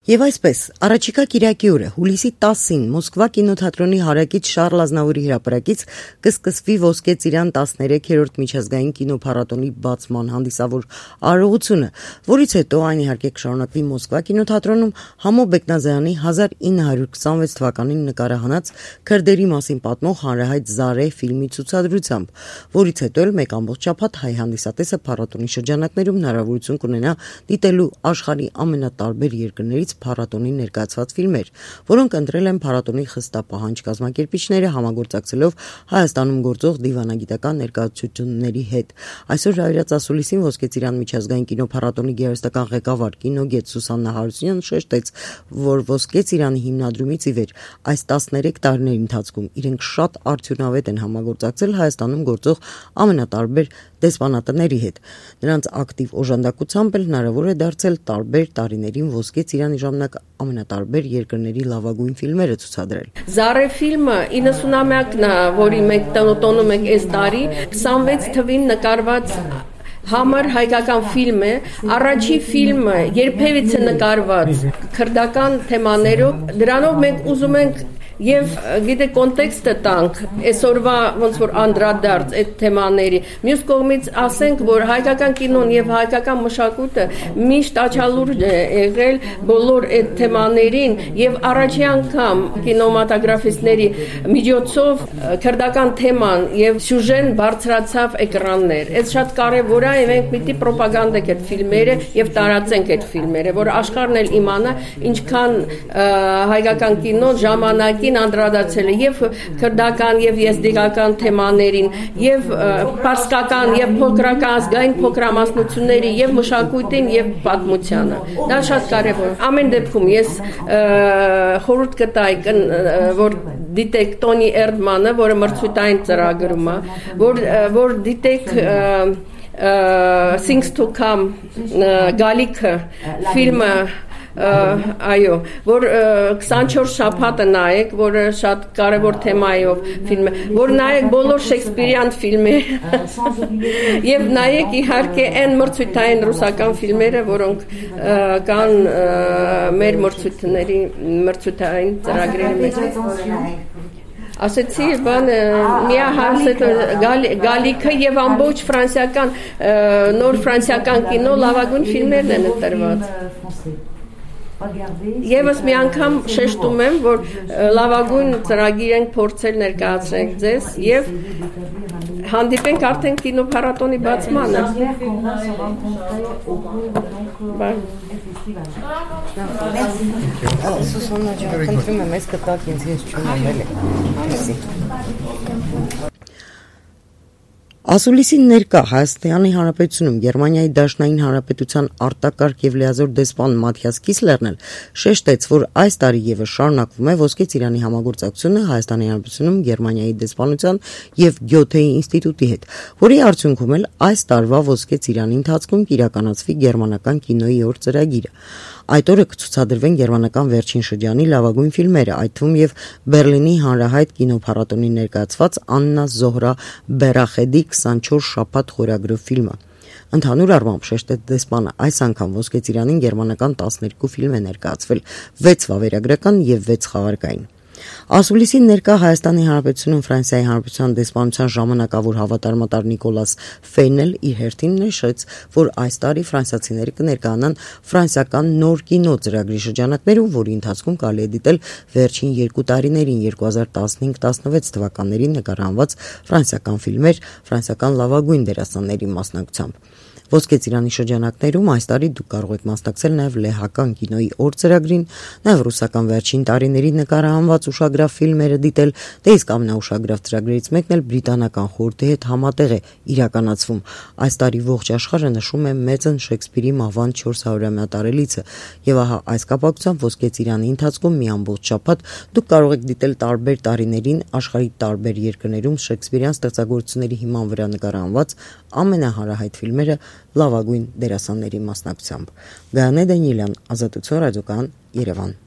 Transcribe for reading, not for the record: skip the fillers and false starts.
Եվ այսպես, առաջիկա կիրակի օրը հուլիսի 10-ին Մոսկվա կինոթատրոնի հարակից Շարլ Ազնավուրի հրապարակից կսկսվի Ոսկե ծիրան 13-րդ միջազգային կինոփառատոնի բացման հանդիսավոր արարողությունը, որից հետո այն իհարկե կշարունակվի Մոսկվա կինոթատրոնում Համո Բեկնազարյանի 1926 թվականին նկարահանած քրդերի մասին պատմող հանրահայտ Զարե ֆիլմի ցուցադրությամբ, որից հետո էլ մեկ ամբողջ շաբաթ հայ հանդիսատեսը փառատոնի շրջանակներում հնարավորություն կունենա դիտելու աշխարհի ամենատարբեր երկրներից փառատոնի ներկայացված ֆիլմեր, որոնք ընտրել են փառատոնի խստապահանջ կազմակերպիչները համագործակցելով Հայաստանում գործող դիվանագիտական ներկայացությունների հետ։ Այսօր Ռայրաց ասուլիսին Ոսկե ծիրան միջազգային կինոփառատոնի գեղարվեստական ղեկավար կինոգետ Սուսաննա Հարությունյանը շեշտեց, որ Ոսկե ծիրանի հիմնադրումից ի վեր այս 13 տարիների ընթացքում իրենք շատ արդյունավետ են համագործակցել Հայաստանում գործող ամենատարբեր դեսպանատների հետ։ Նրանց ակտիվ օժանդակությամբ էլ հնարավոր է դարձել տարբեր տարիներին Ոսկե ծիրանի ժամանակ ամենատարբեր երկրների լավագույն ֆիլմերը ցուցադրել։ Զարե ֆիլմը 90-ամյակն է, որի մենք տոնում ենք այս տարի, 26 թվին նկարված համր հայկական ֆիլմ է, առաջի ֆիլմը երբևիցե նկարված քրդական թեմաներով, դրանով մենք ուզում ենք Եվ գիտե կոնտեքստը տանք այսօրվա ոնց որ անդրադարձ այդ թեմաների մյուս կողմից ասենք որ հայկական կինոն եւ հայկական մշակույթը միշտ աչալուրջ է եղել բոլոր այդ թեմաներին եւ առաջի անգամ կինոմատոգրաֆիստների միջոցով քրդական թեման եւ սյուժեն բարձրացավ էկրաններ այդ շատ կարեւոր է եւ մենք պիտի ռոպագանդենք այդ ֆիլմերը եւ տարածենք այդ ֆիլմերը որ աշխարհն էլ իմանա ինչքան հայկական կինոն ժամանակի անդրադարձել է եւ քրդական եւ եզդիկական թեմաներին եւ պարսկական եւ փոքրական ազգային փոքրամասնությունների եւ մշակույթին եւ պատմությանը դա շատ կարեւոր ամեն դեպքում ես խորհուրդ կտայի որ դիտեք Տոնի Էրդմանը որը մրցույթային ծրագրում է որ դիտեք Things to Come գալիքը ֆիլմը այո, որ 24 շաբաթը նայեք, որը շատ կարևոր թեմայով ֆիլմ է, որ նայեք բոլոր Շեքսպիրյան ֆիլմերը եւ նայեք իհարկե այն մրցույթային ռուսական ֆիլմերը, որոնք կան մեր մրցույթային ծրագրերի մեջ։ Ասեցի բան գալիքը եւ ամբողջ ֆրանսիական նոր ֆրանսիական կինո լավագույն ֆիլմերն են ընտրված։ Եվս մի անգամ շեշտում եմ, որ լավագույն ծրագիր ենք փորձել ներկայացնել ձեզ եւ հանդիպենք արդեն կինոփառատոնի բացմանը։ Սուսաննա ջան, խնդրում եմ, ես կտակ ինձ ես չունեմ էլի։ Ասուլիսին ներկա Հայաստանի Հանրապետությունում Գերմանիայի Դաշնային Հանրապետության արտակարգ եւ լիազոր դեսպան Մաթիաս Կիսլերն էլ շեշտեց, որ այս տարի եւս շարունակվում է Ոսկե ծիրանի համագործակցությունը Հայաստանի Հանրապետությունում Գերմանիայի դեսպանության եւ Գյոթեի ինստիտուտի հետ, որի արդյունքում էլ այս տարվա Ոսկե ծիրանի ընթացքում կիրականացվի գերմանական կինոյի օր ծրագիրը։ Այդ օրը կցուցադրվեն գերմանական վերջին շրջանի լավագույն ֆիլմերը, այդ թվում եւ Բերլինի հանրահայտ կինոփառատոնի ներկայացված Աննա Զոհրա Բերախեդի 24 շաբաթ խորագրով ֆիլմը։ Ընդհանուր առմամբ շեշտեց դեսպանը, այս անգամ Ոսկե ծիրանին գերմանական 12 ֆիլմ է ներկայացվել, 6 վավերագրական եւ 6 խաղարկային։ Ասուլիսին ներկա Հայաստանի Հանրապետությունում Ֆրանսիայի Հանրապետության դեսպանության ժամանակավոր հավատարմատար Նիկոլաս Ֆեյնել իր հերթին նշեց, որ այս տարի ֆրանսիացիները կներկայանան ֆրանսիական նոր կինո ծրագրի շրջանակներում, որի ընթացքում կարելի է դիտել վերջին 2 տարիներին 2015-16 թվականներին նկարահանված ֆրանսիական ֆիլմեր ֆրանսիական լավագույն դերասանների մասնակցությամբ։ Ոսկե ծիրանի շրջանակներում այս տարի դուք կարող եք մասնակցել նաև լեհական կինոյի օր ծրագրին, նաև ռուսական վերջին տարիների նկարահանված ուշագրավ ֆիլմերը դիտել, դե իսկ ամենաուշագրավ ծրագրերից մեկն էլ բրիտանական խորհրդի հետ համատեղ է իրականացվում։ Այս տարի ողջ աշխարհը նշում է մեծն Շեքսպիրի մահվան 400-ամյա տարելիցը, եւ ահա այս կապակցությամբ Ոսկե ծիրանի ընթացքում մի ամբողջ շաբաթ դուք կարող եք դիտել տարբեր տարիներին աշխարհի տարբեր երկրներում Շեքսպիրյան ստեղծագործությունների հիման վրա նկարահանված ամենահարահայտ ֆիլմերը լավագույն դերասանների մասնակցությամբ։ Գայանե Դանիելյան, Ազատություն ռադիոկայան, Երևան։